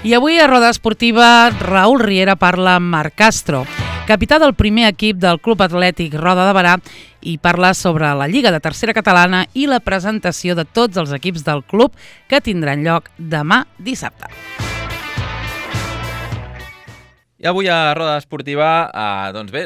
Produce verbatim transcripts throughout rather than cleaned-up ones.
I avui a Roda Esportiva, Raül Riera parla amb Marc Castro, capità del primer equip del Club Atlètic Roda de Berà, i parla sobre la Lliga de Tercera Catalana i la presentació de tots els equips del club que tindran lloc demà dissabte. I avui a Roda Esportiva, eh, doncs bé,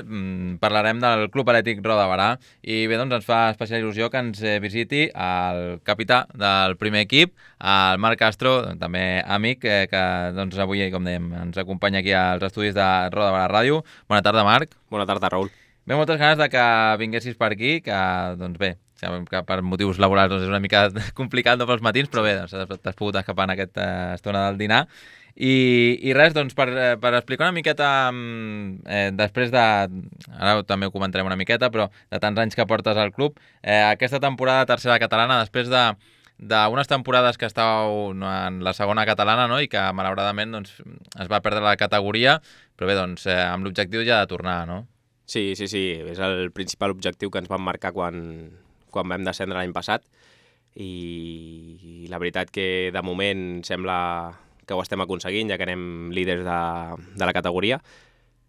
parlarem del Club Atlètic Roda de Berà i bé, doncs ens fa especial il·lusió que ens visiti el capità del primer equip, el Marc Castro, també amic, eh, que doncs avui, com dèiem, ens acompanya aquí als estudis de Roda de Berà Ràdio. Bona tarda, Marc. Bona tarda, Raül. Bé, moltes ganes de que vinguessis per aquí, que, doncs bé, sabem que per motius laborals doncs és una mica complicat no pels matins, però bé, doncs, t'has pogut escapar en aquesta estona del dinar. I, i res, doncs, per, per explicar una miqueta, eh, després de, ara també ho comentarem una miqueta, però de tants anys que portes al club, eh, aquesta temporada de tercera catalana, després de d'unes temporades que estàveu en la segona catalana, no?, i que malauradament doncs, es va perdre la categoria, però bé, doncs, eh, amb l'objectiu ja de tornar, no? Sí, sí, sí, és el principal objectiu que ens vam marcar quan, quan vam descendre l'any passat, i la veritat que de moment sembla que ho estem aconseguint, ja que anem líders de, de la categoria,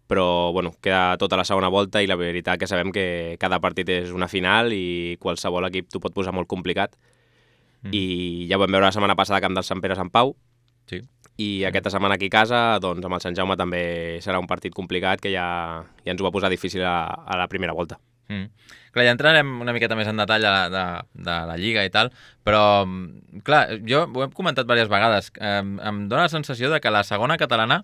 però bueno, queda tota la segona volta i la veritat que sabem que cada partit és una final i qualsevol equip t'ho pot posar molt complicat. Mm. I ja ho vam veure la setmana passada camp del Sant Pere Sant Pau, sí. I aquesta setmana aquí a casa, doncs amb el Sant Jaume també serà un partit complicat que ja, ja ens ho va posar difícil a, a la primera volta. Mm. Clar, ja entrarem una miqueta més en detall de, de, de la Lliga i tal, però, clar, jo ho he comentat diverses vegades, eh, em dóna la sensació de que la segona catalana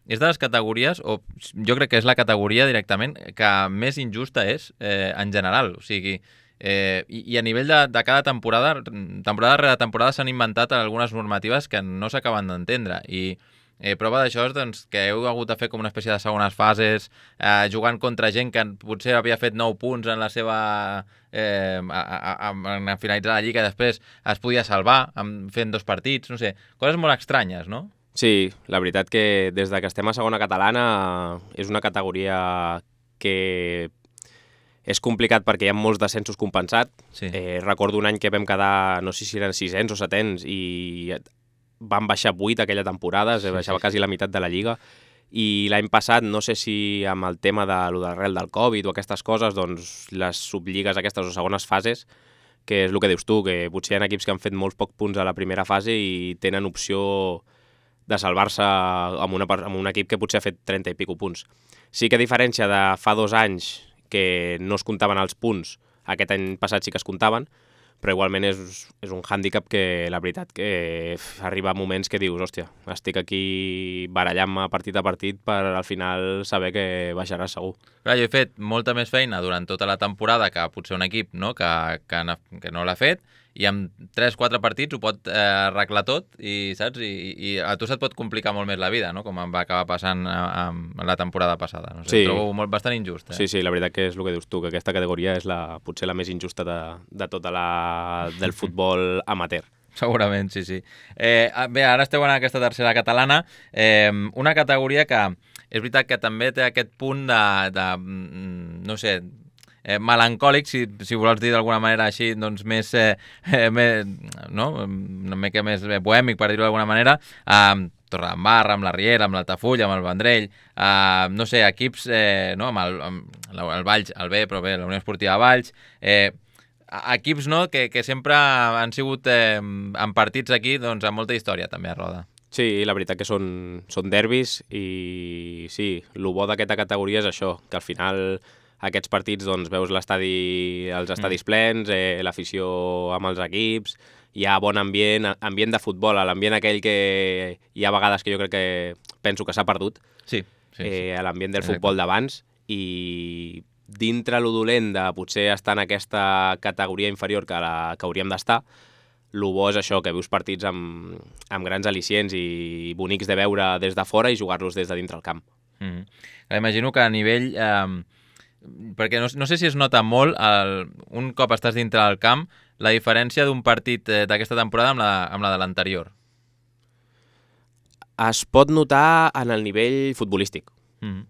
és de les categories, o jo crec que és la categoria directament, que més injusta és eh, en general, o sigui, eh, i, i a nivell de, de cada temporada, temporada rere temporada s'han inventat algunes normatives que no s'acaben d'entendre, i Eh, prova d'això és doncs, que heu hagut de fer com una espècie de segones fases, eh, jugant contra gent que potser havia fet nou punts en la seva eh, a, a, a, en finalitzar la Lliga i després es podia salvar amb, fent dos partits, no sé, coses molt estranyes, no? Sí, la veritat que des de que estem a segona catalana és una categoria que és complicat perquè hi ha molts descensos compensats. Sí. Eh, recordo un any que vam quedar, no sé si eren sisens o setens, i van baixar vuit aquella temporada, es baixava sí, sí, quasi la meitat de la Lliga, i l'any passat, no sé si amb el tema de lo d'arrel del Covid o aquestes coses, doncs les subligues aquestes o segones fases, que és el que dius tu, que potser hi ha equips que han fet molts pocs punts a la primera fase i tenen opció de salvar-se amb, una, amb un equip que potser ha fet trenta i pico punts. Sí que a diferència de fa dos anys que no es comptaven els punts, aquest any passat sí que es comptaven, però igualment és, és un hàndicap que la veritat que arriba a moments que dius, hòstia, estic aquí barallant-me partit a partit per al final saber que baixarà segur. Clar, jo he fet molta més feina durant tota la temporada que potser un equip, no?, que, que, que no l'ha fet, i amb tres quatre partits ho pot eh, arreglar tot, i saps? I, i a tu se't pot complicar molt més la vida, no?, com em va acabar passant a, a la temporada passada. No sé, sí. Ho trobo molt, bastant injust. Eh? Sí, sí, la veritat que és el que dius tu, que aquesta categoria és la, potser la més injusta de, de tota la del futbol amateur. Segurament, sí, sí. Eh, bé, ara esteu en aquesta tercera catalana, eh, una categoria que és veritat que també té aquest punt de, de no sé, eh, melancòlic, si, si vols dir d'alguna manera així, doncs més, eh, més no? una mica més bohèmic, per dir-ho d'alguna manera, amb eh, Torredembarra, amb la Riera, amb l'Altafulla, amb el Vendrell, eh, no sé, equips, eh, no? amb, el, amb el Valls, el B, però bé, la Unió Esportiva Valls, eh, equips, no?, que, que sempre han sigut eh, en partits aquí, doncs, amb molta història també a Roda. Sí, la veritat que són, són derbis i sí, el bo d'aquesta categoria és això, que al final aquests partits doncs, veus l'estadi, els estadis mm. plens, eh, l'afició amb els equips, hi ha bon ambient, ambient de futbol, l'ambient aquell que hi ha vegades que jo crec que penso que s'ha perdut, sí, sí, sí. Eh, l'ambient del futbol d'abans, i dintre lo dolent de potser estar en aquesta categoria inferior que, la, que hauríem d'estar, el bo és això, que veus partits amb, amb grans al·licients i bonics de veure des de fora i jugar-los des de dintre el camp. Mm. Imagino que a nivell... Eh, perquè no, no sé si es nota molt, el, un cop estàs dintre del camp, la diferència d'un partit eh, d'aquesta temporada amb la, amb la de l'anterior. Es pot notar en el nivell futbolístic. Mm.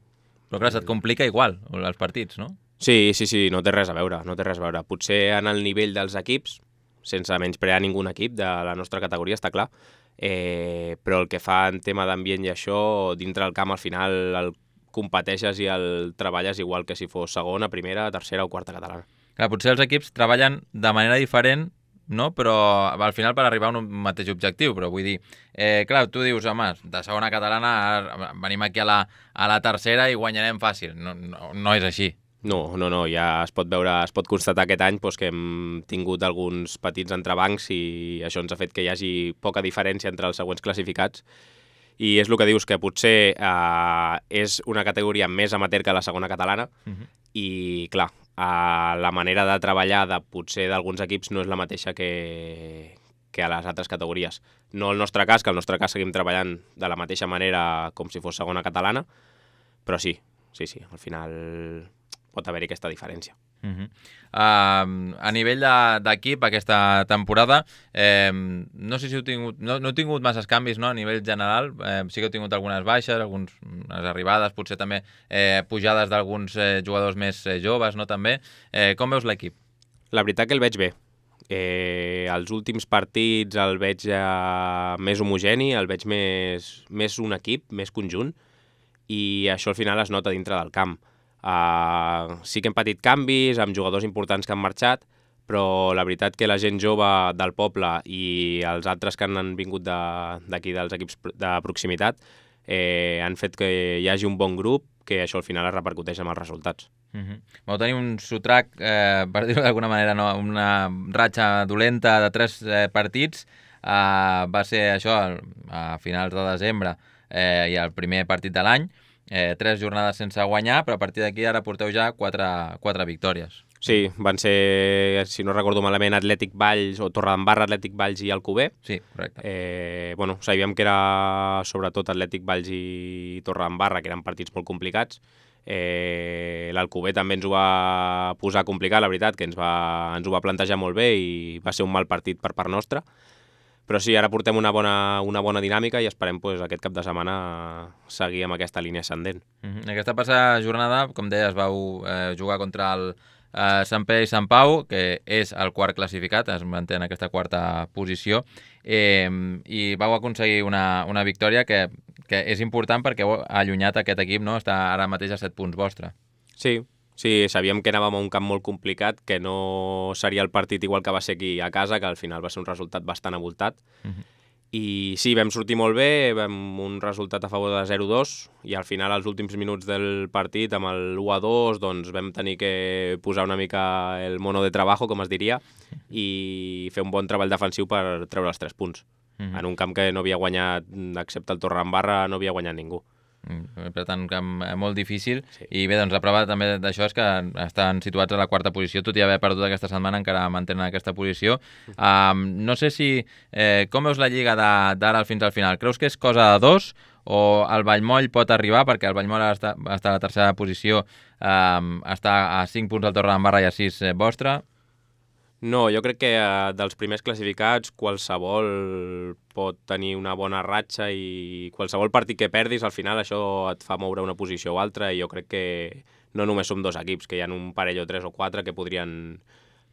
Però clar, se't complica igual els partits, no? Sí, sí, sí, no té res a veure, no té res a veure. Potser en el nivell dels equips, sense menysprear ningú equip de la nostra categoria, està clar, eh, però el que fa en tema d'ambient i això, dintre del camp al final el competeixes i el treballes igual que si fos segona, primera, tercera o quarta catalana. Clar, potser els equips treballen de manera diferent, no? Però al final per arribar a un mateix objectiu, però vull dir, eh, clar, tu dius, home, de segona catalana ara venim aquí a la, a la tercera i guanyarem fàcil. No, no, no és així. No, no, no, ja es pot veure, es pot constatar aquest any doncs, que hem tingut alguns petits entrebancs i això ens ha fet que hi hagi poca diferència entre els següents classificats. I és el que dius, que potser eh, és una categoria més amateur que la segona catalana uh-huh. i, clar, eh, la manera de treballar de potser d'alguns equips no és la mateixa que, que a les altres categories. No el nostre cas, que el nostre cas seguim treballant de la mateixa manera com si fos segona catalana, però sí, sí, sí, al final pot haver-hi aquesta diferència. Uh-huh. uh, a nivell d'equip aquesta temporada eh, no sé si heu tingut no, no heu tingut masses canvis, no? A nivell general eh, sí que heu tingut algunes baixes, algunes arribades, potser també eh, pujades d'alguns eh, jugadors més eh, joves, no? També. Eh, com veus l'equip? La veritat que el veig bé. Eh, els últims partits el veig eh, més homogeni, el veig més, més un equip, més conjunt, i això al final es nota dintre del camp. Uh, sí que hem patit canvis amb jugadors importants que han marxat, però la veritat que la gent jove del poble i els altres que han vingut d'aquí de, dels equips de proximitat eh, han fet que hi hagi un bon grup, que això al final es repercuteix amb els resultats. Uh-huh. Vau tenir un sotrac, eh, per dir-ho d'alguna manera, no? Una ratxa dolenta de tres eh, partits, eh, va ser això a finals de desembre eh, i el primer partit de l'any. Eh, tres jornades sense guanyar, però a partir d'aquí ara porteu ja quatre, quatre victòries. Sí, van ser, si no recordo malament, Atlètic Valls, o Torredembarra, Atlètic Valls i Alcover. Sí, correcte. Eh, bueno, sabíem que era sobretot Atlètic Valls i Torredembarra, que eren partits molt complicats. Eh, L'Alcover també ens ho va posar complicat, la veritat, que ens, va, ens ho va plantejar molt bé i va ser un mal partit per part nostra. Però sí, ara portem una bona, una bona dinàmica i esperem pues, aquest cap de setmana seguir amb aquesta línia ascendent. Uh-huh. Aquesta passada jornada, com deies, vau eh, jugar contra el eh, Sant Pere i Sant Pau, que és el quart classificat, es manté en aquesta quarta posició, eh, i vau aconseguir una, una victòria que, que és important perquè heu allunyat aquest equip, no? Està ara mateix a set punts vostre. Sí, sí, sabíem que anàvem a un camp molt complicat, que no seria el partit igual que va ser aquí a casa, que al final va ser un resultat bastant avoltat. Uh-huh. I sí, vam sortir molt bé, vam un resultat a favor de zero dos, i al final, als últims minuts del partit, amb el u a dos, doncs vam tenir que posar una mica el mono de trabajo, com es diria, i fer un bon treball defensiu per treure els tres punts. Uh-huh. En un camp que no havia guanyat, excepte el Torredembarra, no havia guanyat ningú. Per tant, camp molt difícil. Sí. I bé, doncs la prova també d'això és que estan situats a la quarta posició, tot i haver perdut aquesta setmana encara mantenen aquesta posició. Um, no sé si eh, com veus la Lliga d'ara fins al final? Creus que és cosa de dos o el Vallmoll pot arribar, perquè el Vallmoll està, està a la tercera posició, um, està a cinc punts del Torredembarra i a sis eh, vostre? No, jo crec que eh, dels primers classificats qualsevol pot tenir una bona ratxa i qualsevol partit que perdis al final això et fa moure una posició o altra, i jo crec que no només som dos equips, que hi ha un parell o tres o quatre que podrien,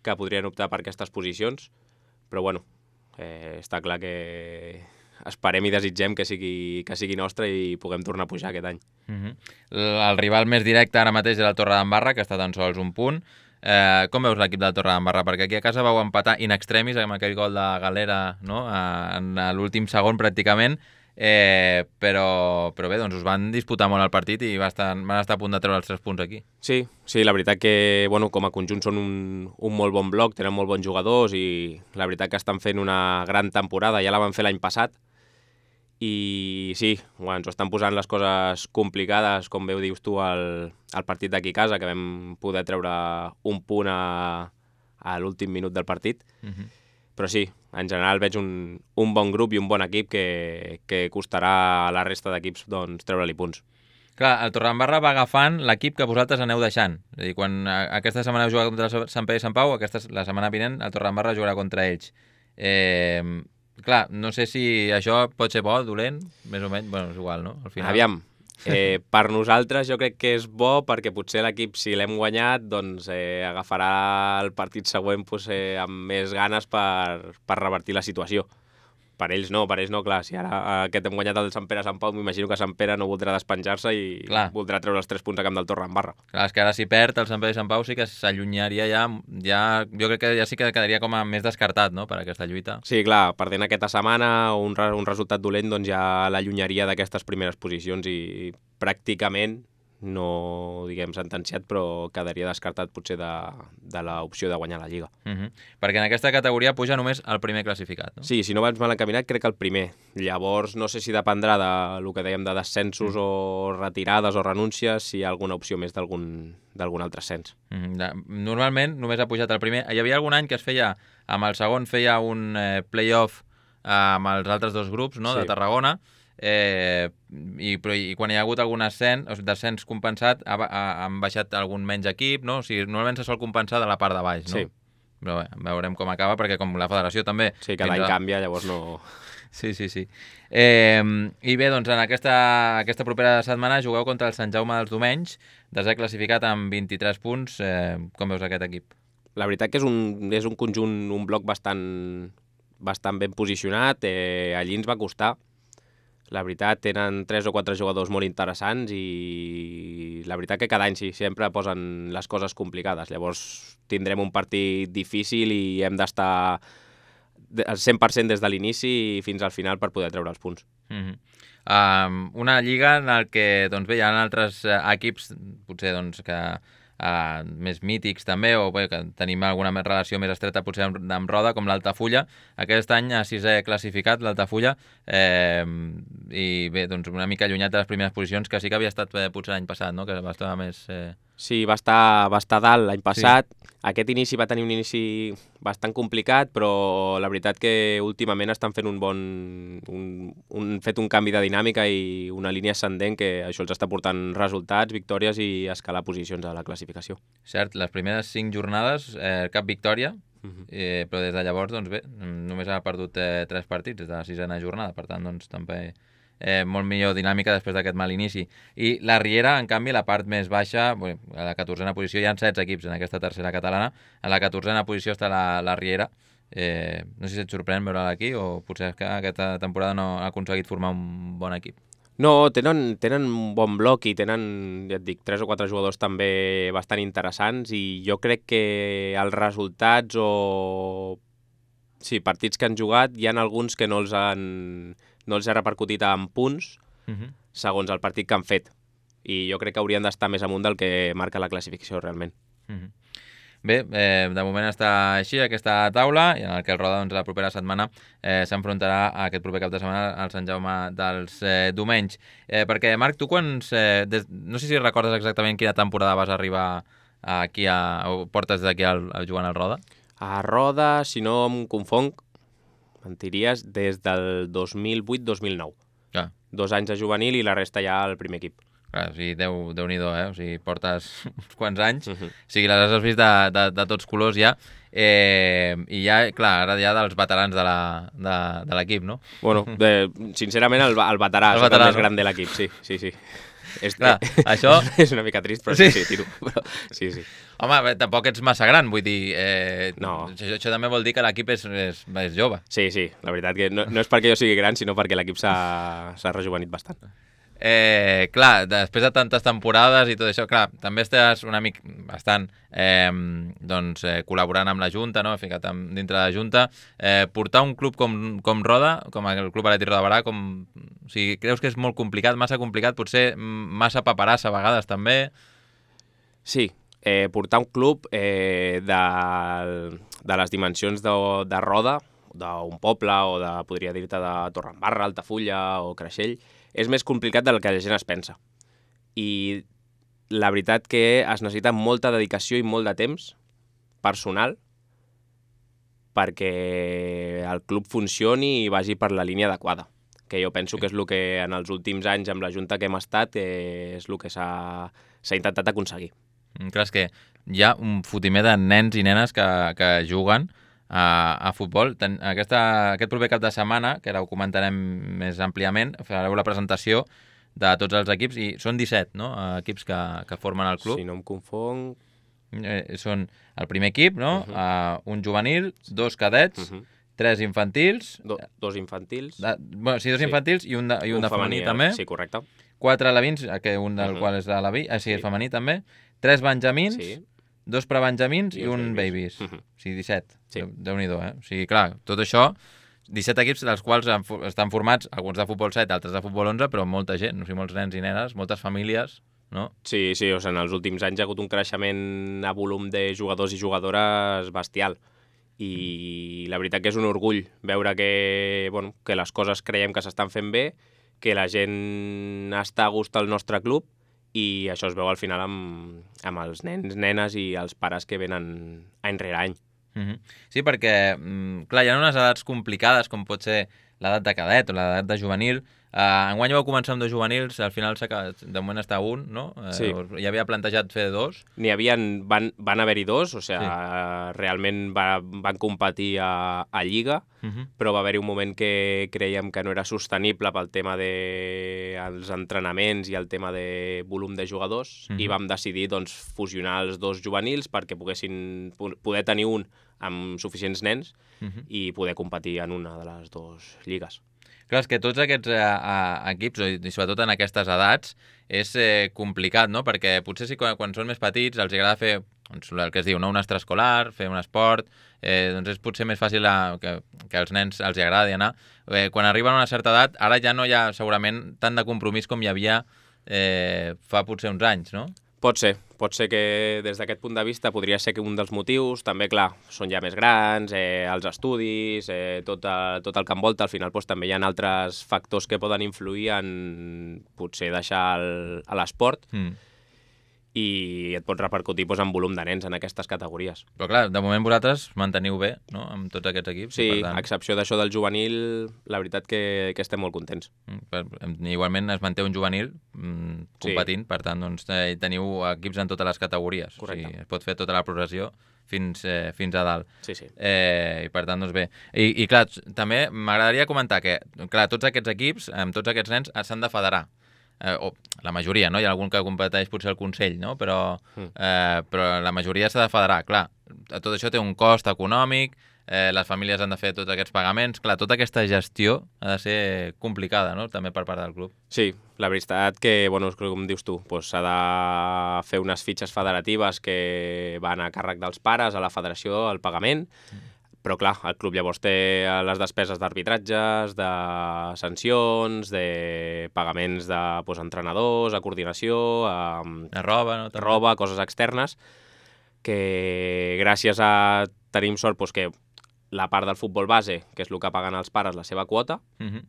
que podrien optar per aquestes posicions, però bueno, eh, està clar que esperem i desitgem que sigui, que sigui nostre i puguem tornar a pujar aquest any. Uh-huh. El rival més directe ara mateix és el Torredembarra, que està tan sols un punt. Eh, com veus l'equip del Torredembarra? Perquè aquí a casa vau empatar in extremis amb aquell gol de Galera, no? A, en l'últim segon pràcticament, eh, però, però bé, doncs us van disputar molt el partit i van estar, van estar a punt de treure els tres punts aquí. Sí, sí, la veritat que bueno, com a conjunt són un, un molt bon bloc, tenen molt bons jugadors i la veritat que estan fent una gran temporada, ja la van fer l'any passat. I sí, bueno, ens estan posant les coses complicades, com bé ho dius tu, al, al partit d'aquí a casa, que vam poder treure un punt a, a l'últim minut del partit. Uh-huh. Però sí, en general veig un, un bon grup i un bon equip que, que costarà a la resta d'equips doncs, treure-li punts. Clar, el Torredembarra va agafant l'equip que vosaltres aneu deixant. És a dir, quan aquesta setmana heu jugat contra el Sant Pere i Sant Pau, aquesta, la setmana vinent el Torredembarra jugarà contra ells. Eh... Clar, no sé si això pot ser bo, dolent, més o menys, bueno, és igual, no? Al final. Aviam, eh, per nosaltres jo crec que és bo perquè potser l'equip, si l'hem guanyat, doncs eh, agafarà el partit següent pues, eh, amb més ganes per, per revertir la situació. Per ells no, per ells no, clar, si ara aquest hem guanyat el Sant Pere Sant Pau, m'imagino que Sant Pere no voldrà despenjar-se i clar. voldrà treure els tres punts a Camp del Torre en barra. Clar, és que ara si perd el Sant Pere i Sant Pau sí que s'allunyaria ja, ja, jo crec que ja sí que quedaria com a més descartat, no?, per aquesta lluita. Sí, clar, perdent aquesta setmana un, re, un resultat dolent doncs ja l'allunyaria d'aquestes primeres posicions i pràcticament no, diguem, sentenciat, però quedaria descartat potser de, de l'opció de guanyar la Lliga. Uh -huh. Perquè en aquesta categoria puja només el primer classificat, no? Sí, si no vas mal encaminat, crec que el primer. Llavors, no sé si dependrà de lo que dèiem de descensos uh -huh. o retirades o renúncies, si hi ha alguna opció més d'algun d'algun altre ascens. Uh -huh. Normalment només ha pujat el primer. Hi havia algun any que es feia, amb el segon feia un eh, play-off eh, amb els altres dos grups, no?, sí. de Tarragona, Eh, i, però, i quan hi ha hagut algun ascens, o sigui, descens compensat ha, ha, han baixat algun menys equip, no? O sigui, normalment se sol compensar de la part de baix, no? Sí. Però bé, veurem com acaba, perquè com la federació també... Sí, cada any a... canvia, llavors no... Sí, sí, sí. Eh, I bé, doncs en aquesta, aquesta propera setmana jugueu contra el Sant Jaume dels Domenys, desè classificat amb vint-i-tres punts. Eh, com veus aquest equip? La veritat que és un, és un conjunt, un bloc bastant, bastant ben posicionat. Eh, allí ens va costar. La veritat, tenen tres o quatre jugadors molt interessants i la veritat que cada any sí, sempre posen les coses complicades. Llavors tindrem un partit difícil i hem d'estar al cent per cent des de l'inici fins al final per poder treure els punts. Mm-hmm. um, una lliga en la que doncs, bé, hi ha altres uh, equips potser doncs, que Uh, més mítics també, o bé, que tenim alguna més relació més estreta potser amb, amb Roda, com l'Altafulla. Aquest any a sisè classificat l'Altafulla, eh, i bé, doncs una mica allunyat de les primeres posicions, que sí que havia estat eh, potser l'any passat, no?, que va estar més... Eh... Sí, va estar, va estar dalt l'any passat. Sí. Aquest inici va tenir un inici bastant complicat, però la veritat que últimament estan fent un bon... Un, un, fet un canvi de dinàmica i una línia ascendent que això els està portant resultats, victòries i escalar posicions a la classificació. Cert, les primeres cinc jornades, eh, cap victòria, uh-huh. eh, però des de llavors, doncs bé, només ha perdut eh, tres partits des de la sisena jornada, per tant, doncs també... Eh, molt millor dinàmica després d'aquest mal inici. I la Riera, en canvi, la part més baixa, bé, a la catorzena posició, hi ha setze equips en aquesta tercera catalana, a la catorzena posició està la, la Riera. Eh, no sé si et sorprèn veure-la aquí o potser és que aquesta temporada no ha aconseguit formar un bon equip. No, tenen, tenen un bon bloc i tenen, ja et dic, tres o quatre jugadors també bastant interessants i jo crec que els resultats o sí, partits que han jugat, hi ha alguns que no els han... no els ha repercutit en punts uh-huh. segons el partit que han fet. I jo crec que haurien d'estar més amunt del que marca la classificació realment. Uh-huh. Bé, eh, de moment està així aquesta taula, i en el que el Roda doncs, la propera setmana eh, s'enfrontarà a aquest proper cap de setmana al Sant Jaume dels eh, Domenys. Eh, perquè, Marc, tu quants... Eh, des, no sé si recordes exactament quina temporada vas arribar aquí a, o portes d'aquí al, al jugant al Roda? A Roda, si no em confonc, mentiries, des del dos mil vuit dos mil nou. Ah. Dos anys de juvenil i la resta ja al primer equip. Clar, o sigui, Déu, Déu-n'hi-do, eh? O sigui, portes uns quants anys, uh-huh. o sigui, les has vist de, de, de tots colors ja, eh, i ja, clar, ara ja dels veterans de l'equip, no? Bueno, de, sincerament el, el veterà, el veterà, el més no? gran de l'equip, sí, sí, sí. És, clar, això... és una mica trist, però sí, sí, tiro. Però, sí, sí. Home, bé, tampoc ets massa gran, vull dir... Eh, no. Això, això també vol dir que l'equip és, és, és jove. Sí, sí, la veritat que no, no és perquè jo sigui gran, sinó perquè l'equip s'ha rejuvenit bastant. Eh, clar, després de tantes temporades i tot això, clar, també estàs una mica bastant eh, doncs, eh, col·laborant amb la Junta, no? Ficat amb, dintre de la Junta. Eh, portar un club com, com Roda, com el Club Atlètic Roda de Barà, com... O sigui, creus que és molt complicat, massa complicat, potser massa paperassa a vegades també? Sí, eh, portar un club eh, de, de les dimensions de, de Roda, d'un poble o de, podria dir-te, de Torredembarra, Altafulla o Creixell, és més complicat del que la gent es pensa. I la veritat que es necessita molta dedicació i molt de temps personal perquè el club funcioni i vagi per la línia adequada, que jo penso que és el que en els últims anys amb la Junta que hem estat eh, és el que s'ha intentat aconseguir. Clar, és que hi ha un fotimer de nens i nenes que, que juguen a, a futbol. Ten, aquesta, aquest proper cap de setmana, que ara ho comentarem més àmpliament, fareu la presentació de tots els equips, i són disset, no?, equips que, que formen el club. Si no em confonc... Eh, són el primer equip, no?, uh -huh. uh, un juvenil, dos cadets, uh -huh. tres infantils... Do, dos infantils. De, bueno, sí, dos sí. infantils i un de, i un, un de femení, femení també. Sí, correcte. Quatre alevins, que un del uh -huh. qual és l'aleví, ah, sí, sí, és femení també. Tres benjamins, sí. dos prebenjamins i, i un babies. babies. Uh -huh. O sigui, disset. Sí. Déu-n'hi-do, eh? O sigui, clar, tot això, disset equips dels quals estan formats, alguns de futbol set, altres de futbol onze, però molta gent, o sigui, molts nens i nenes, moltes famílies... No? Sí, sí, o sigui, en els últims anys hi ha hagut un creixement a volum de jugadors i jugadores bestial. I la veritat que és un orgull veure que, bueno, que les coses creiem que s'estan fent bé, que la gent està a gust al nostre club i això es veu al final amb, amb els nens, nenes i els pares que venen any rere any. Mm-hmm. Sí, perquè, clar, hi ha unes edats complicades com pot ser l'edat de cadet o l'edat de juvenil. Uh, enguany vau començar amb dos juvenils, al final de moment està un, no? Uh, sí. Hi havia plantejat fer dos. N'hi havia, van, van haver-hi dos, o sigui, sí. realment va, van competir a, a Lliga, uh-huh. però va haver-hi un moment que creiem que no era sostenible pel tema dels de entrenaments i el tema de volum de jugadors, uh-huh. i vam decidir doncs, fusionar els dos juvenils perquè poguessin poder tenir un amb suficients nens uh-huh. i poder competir en una de les dues lligues. Clar, és que tots aquests eh, equips, i sobretot en aquestes edats, és eh, complicat, no? Perquè potser sí, quan, quan són més petits els agrada fer doncs, el que es diu, no? Un extraescolar, fer un esport, eh, doncs és potser més fàcil a, que, que als nens els agradi anar. Eh, quan arriben a una certa edat, ara ja no hi ha segurament tant de compromís com hi havia eh, fa potser uns anys, no? Pot ser, pot ser que des d'aquest punt de vista podria ser que un dels motius, també, clar, són ja més grans, eh, els estudis, eh, tot, a, tot el que envolta, al final doncs, també hi ha altres factors que poden influir en potser deixar el, a l'esport mm. i et pot repercutir doncs, en volum de nens en aquestes categories. Però clar, de moment vosaltres manteniu bé, no?, amb tots aquests equips. Sí, per tant... a excepció d'això del juvenil, la veritat que, que estem molt contents. Mm, igualment es manté un juvenil mm, competint, sí. Per tant, doncs, teniu equips en totes les categories. Correcte. O sigui, es pot fer tota la progressió fins, eh, fins a dalt. Sí, sí. Eh, I per tant, doncs bé. I, i clar, també m'agradaria comentar que, clar, tots aquests equips, amb tots aquests nens, s'han de federar. Eh, o la majoria, no? Hi ha algun que competeix potser el Consell, no? Però, eh, però la majoria s'ha de federar. Clar, tot això té un cost econòmic, eh, les famílies han de fer tots aquests pagaments. Clar, tota aquesta gestió ha de ser complicada, no?, també per part del club. Sí, la veritat que, bueno, com dius tu, doncs s'ha de fer unes fitxes federatives que van a càrrec dels pares, a la federació, al pagament, mm. Però, clar, el club llavors té les despeses d'arbitratges, de sancions, de pagaments de doncs, entrenadors, a coordinació, a, a roba, no? roba, coses externes, que gràcies a tenim sort doncs, que la part del futbol base, que és el que paguen els pares, la seva quota, uh-huh.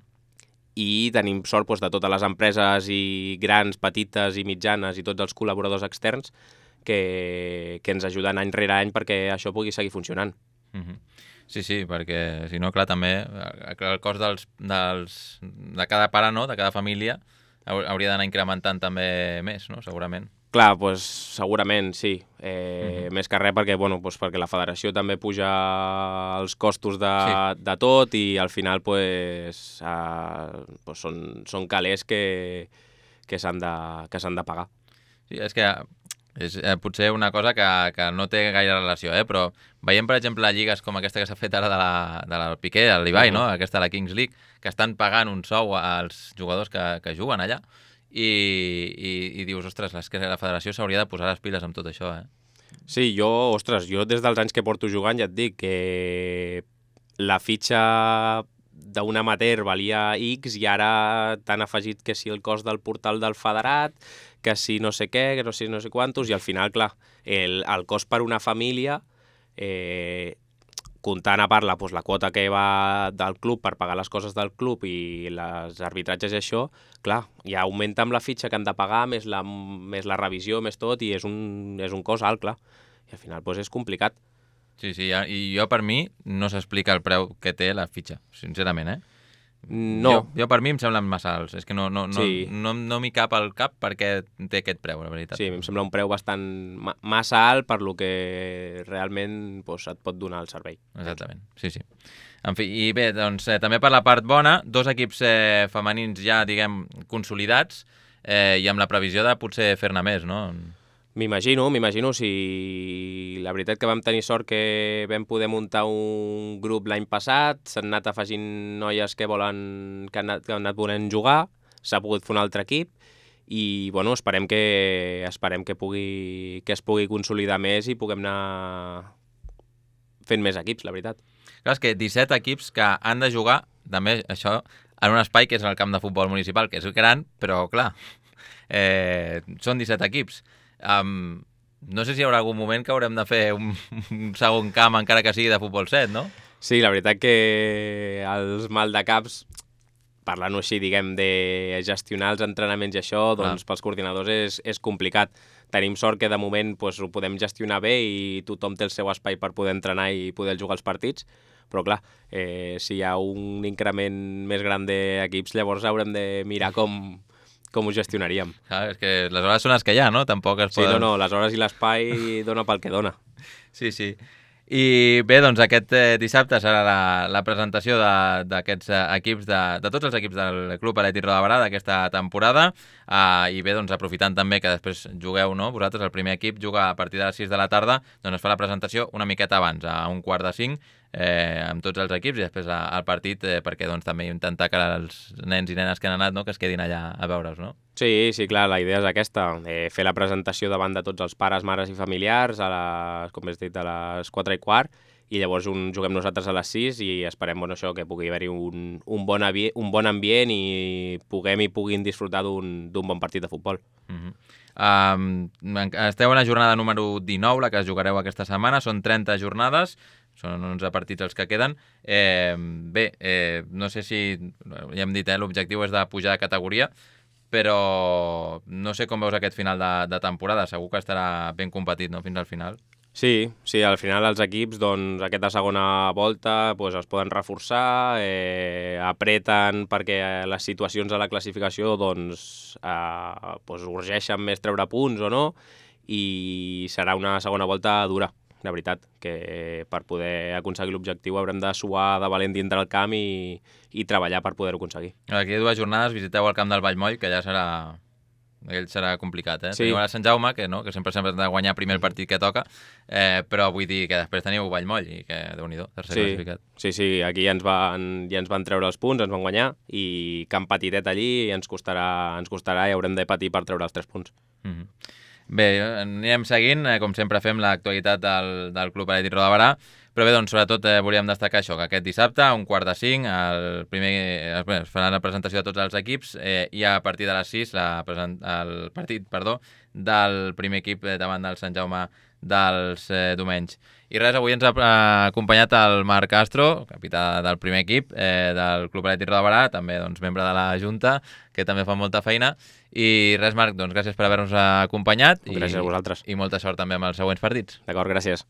i tenim sort doncs, de totes les empreses i grans, petites i mitjanes i tots els col·laboradors externs que, que ens ajuden any rere any perquè això pugui seguir funcionant. Uh-huh. Sí, sí, perquè si no, clar, també el cost dels, dels, de cada pare, no?, de cada família, hauria d'anar incrementant també més, no?, segurament. Clar, doncs segurament sí, eh, uh-huh. més que res perquè, bueno, doncs perquè la federació també puja els costos de, sí. de tot i al final pues, eh, pues són, són calés que, que s'han de, que s'han de pagar. Sí, és que és eh, potser una cosa que, que no té gaire relació, eh? Però veiem, per exemple, lligues com aquesta que s'ha fet ara de la, de la Piqué, el Ibai, uh-huh. no? Aquesta de la Kings League, que estan pagant un sou als jugadors que, que juguen allà i, i, i dius, ostres, és que la federació s'hauria de posar les piles amb tot això, eh? Sí, jo, ostres, jo des dels anys que porto jugant ja et dic que la fitxa d'un amateur valia X i ara t'han afegit que si el cost del portal del federat, que si no sé què, que no sé no sé quantos, i al final, clar, el, el cost per una família, eh, comptant a part la, doncs, la quota que va del club per pagar les coses del club i les arbitratges i això, clar, ja augmenta amb la fitxa que han de pagar, més la, més la revisió, més tot, i és un, és un cost alt, clar. I al final doncs, és complicat. Sí, sí, i jo per mi no s'explica el preu que té la fitxa, sincerament, eh? No. Jo, jo per mi em semblen massa alts, és que no, no, no, sí. no, no m'hi cap al cap perquè té aquest preu, la veritat. Sí, em sembla un preu bastant ma massa alt per lo que realment doncs, et pot donar el servei. Exactament, sí, sí. En fi, i bé, doncs eh, també per la part bona, dos equips eh, femenins ja, diguem, consolidats eh, i amb la previsió de potser fer-ne més, no? M'imagino, m'imagino, si la veritat que vam tenir sort que vam poder muntar un grup l'any passat, s'han anat afegint noies que volen que han anat, que han anat volent jugar, s'ha pogut fer un altre equip i bueno, esperem que esperem que pugui que es pugui consolidar més i puguem anar fent més equips, la veritat. Clar, és que disset equips que han de jugar, també això, en un espai que és el camp de futbol municipal, que és gran, però clar, eh, són disset equips. Um, no sé si hi haurà algun moment que haurem de fer un, un segon camp encara que sigui de futbol set, no? Sí, la veritat que els maldecaps, parlant-ho així, diguem, de gestionar els entrenaments i això, doncs pels coordinadors és, és complicat. Tenim sort que de moment doncs, ho podem gestionar bé i tothom té el seu espai per poder entrenar i poder jugar els partits, però clar, eh, si hi ha un increment més gran d'equips, llavors haurem de mirar com... com ho gestionaríem. Clar, és que les hores són les que hi ha, no? Tampoc es poden... Sí, no, no, les hores i l'espai dona pel que dona. Sí, sí. I bé, doncs aquest eh, dissabte serà la, la presentació d'aquests eh, equips, de, de tots els equips del Club Atlètic Roda de Berà d'aquesta temporada, eh, i bé, doncs aprofitant també que després jugueu, no? Vosaltres, el primer equip, juga a partir de les sis de la tarda, doncs es fa la presentació una miqueta abans, a un quart de cinc, eh, amb tots els equips i després a, al partit, eh, perquè doncs també intentar que els nens i nenes que han anat, no? Que es quedin allà a veure's, no? Sí, sí, clar, la idea és aquesta, eh, fer la presentació davant de tots els pares, mares i familiars, a les, com has dit, a les quatre i quart, i llavors un, juguem nosaltres a les sis i esperem bueno, això, que pugui haver-hi un, un, bon un bon ambient i puguem i puguin disfrutar d'un bon partit de futbol. Uh-huh. um, esteu en la jornada número dinou, la que jugareu aquesta setmana, són trenta jornades, són onze partits els que queden. Eh, bé, eh, no sé si, ja hem dit, eh, l'objectiu és de pujar de categoria, però no sé com veus aquest final de, de temporada, segur que estarà ben competit, no?, fins al final. Sí, sí, al final els equips, doncs, aquesta segona volta doncs, es poden reforçar, eh, apreten perquè les situacions de la classificació doncs, eh, doncs urgeixen més treure punts o no, i serà una segona volta dura, de veritat, que per poder aconseguir l'objectiu haurem de suar de valent dintre el camp i, i treballar per poder-ho aconseguir. Aquí dues jornades visiteu el camp del Vallmoll, que ja serà... Ell serà complicat, eh? Sí. Teniu a Sant Jaume, que, no? que sempre sempre hem de guanyar primer el partit que toca, eh, però vull dir que després teniu Vallmoll i que, déu-n'hi-do, tercer sí. classificat. Sí, sí, aquí ja ens, van, ja ens van treure els punts, ens van guanyar, i camp petitet allí ens costarà, ens costarà i haurem de patir per treure els tres punts. Mm-hmm. Bé, anirem seguint, eh, com sempre fem l'actualitat del, del Club Atlètic Roda de Berà, però bé, doncs, sobretot eh, volíem destacar això, que aquest dissabte, a un quart de cinc, el primer, eh, bé, es farà la presentació de tots els equips eh, i a partir de les sis la present, el partit perdó, del primer equip eh, davant del Sant Jaume dels eh, Domenys. I res, avui ens ha acompanyat el Marc Castro, capità del primer equip eh, del Club Atlètic Roda de Berà, també doncs, membre de la Junta, que també fa molta feina. I res, Marc, doncs gràcies per haver-nos acompanyat. Gràcies i, a vosaltres. I molta sort també amb els següents partits. D'acord, gràcies.